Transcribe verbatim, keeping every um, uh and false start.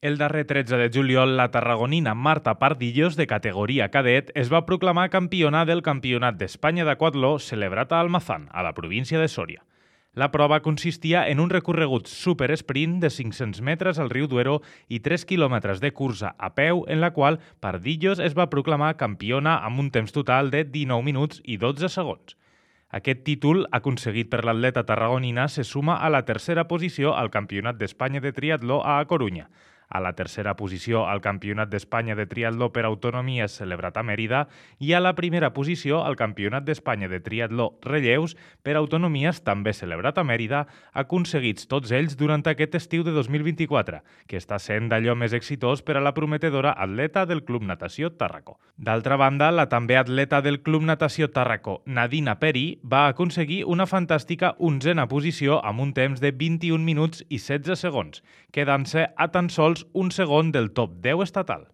El darrer tretze de juliol, la tarragonina Marta Pardillos, de categoria cadet, es va proclamar campiona del Campionat d'Espanya d'aquatló celebrat a Almazán, a la província de Sòria. La prova consistia en un recorregut supersprint de cinc-cents metres al riu Duero i tres quilòmetres de cursa a peu, en la qual Pardillos es va proclamar campiona amb un temps total de dinou minuts i dotze segons. Aquest títol, aconseguit per l'atleta tarragonina, se suma a la tercera posició al Campionat d'Espanya de triatló a A Corunya, a la tercera posició al Campionat d'Espanya de triatló per autonomies celebrat a Mèrida i a la primera posició al Campionat d'Espanya de triatló relleus per autonomies també celebrat a Mèrida, aconseguits tots ells durant aquest estiu de dos mil vint-i-quatre, que està sent d'allò més exitós per a la prometedora atleta del Club Natació Tàrraco. D'altra banda, la també atleta del Club Natació Tàrraco, Nadina Peri, va aconseguir una fantàstica onzena posició amb un temps de vint-i-un minuts i setze segons, quedant-se a tan sols un segon del top deu estatal.